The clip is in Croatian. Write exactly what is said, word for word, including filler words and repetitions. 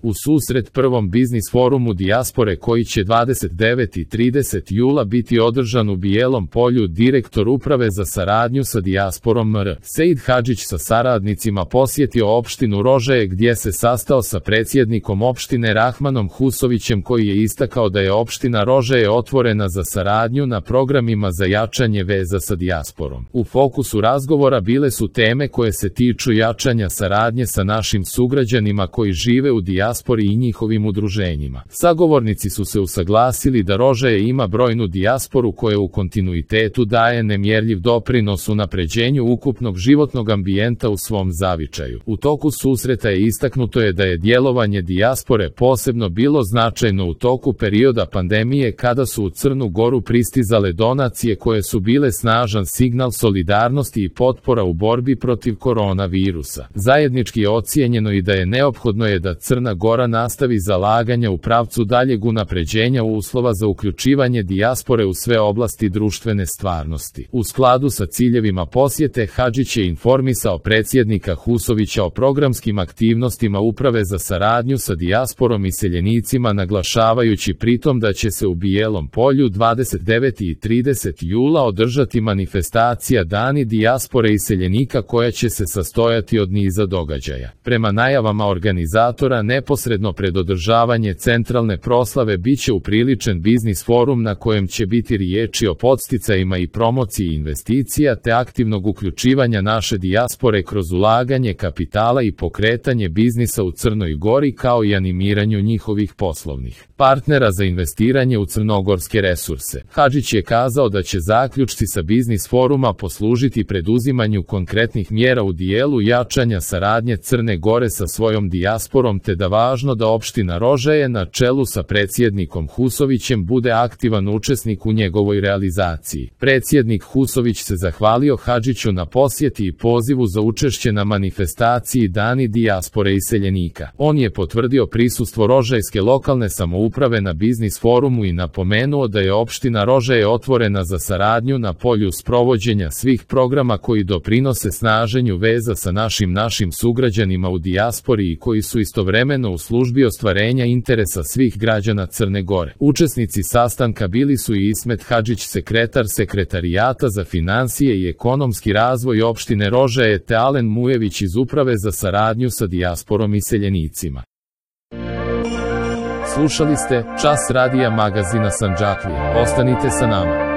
U susret prvom biznis forumu dijaspore koji će dvadeset devetog i tridesetog jula biti održan u Bijelom Polju, direktor Uprave za saradnju sa dijasporom M R Sejid Hadžić sa saradnicima posjetio opštinu Rožaje gdje se sastao sa predsjednikom opštine Rahmanom Husovićem koji je istakao da je opština Rožaje otvorena za saradnju na programima za jačanje veza sa dijasporom. U fokusu razgovora bile su teme koje se tiču jačanja saradnje sa našim sugrađanima koji žive u dijaspori i njihovim udruženjima. Sagovornici su se usaglasili da Rožaje ima brojnu dijasporu koja u kontinuitetu daje nemjerljiv doprinos unapređenju ukupnog životnog ambijenta u svom zavičaju. U toku susreta je istaknuto je da je djelovanje dijaspore posebno bilo značajno u toku perioda pandemije kada su u Crnu Goru pristizale donacije koje su bile snažan signal solidarnosti i potpora u borbi protiv koronavirusa. Zajednički je ocijenjeno i da je neophodno je da Crna Gora nastavi zalaganja u pravcu daljeg unapređenja uslova za uključivanje dijaspore u sve oblasti društvene stvarnosti. U skladu sa ciljevima posjete, Hadžić je informisao predsjednika Husovića o programskim aktivnostima Uprave za saradnju sa dijasporom i seljenicima, naglašavajući pritom da će se u Bijelom Polju dvadeset devetog i tridesetog jula održati manifestacija Dani dijaspore i seljenika koja će se sastojati od niza događaja. Prema najavama organizatora, neposredno pred održavanje centralne proslave biće upriličen biznis forum na kojem će biti riječi o podsticajima i promociji investicija te aktivnog uključivanja naše dijaspore kroz ulaganje kapitala i pokretanje biznisa u Crnoj Gori kao i animiranju njihovih poslovnih partnera za investiranje u crnogorske resurse. Hadžić je kazao da će zaključci sa biznis foruma poslužiti preduzimanju konkretnih mjera u dijelu jačanja saradnje Crne Gore sa svojom dijasporom te da važno da opština Rožaje na čelu sa predsjednikom Husovićem bude aktivan učesnik u njegovoj realizaciji. Predsjednik Husović se zahvalio Hadžiću na posjeti i pozivu za učešće na manifestaciji Dani dijaspore i seljenika. On je potvrdio prisustvo rožajske lokalne samouprave na biznis forumu i napomenuo da je opština Rožaje otvorena za saradnju na polju sprovođenja svih programa koji doprinose snaženju veza sa našim našim sugrađanima u dijaspori i koji su istovremeno u službi ostvarenja interesa svih građana Crne Gore. Učesnici sastanka bili su i Ismet Hadžić, sekretar Sekretarijata za financije i ekonomski razvoj opštine Rožaje, te Alen Mujević iz Uprave za saradnju sa dijasporom i seljenicima. Slušali ste Čas radija magazina Sandžaklija. Ostanite sa nama.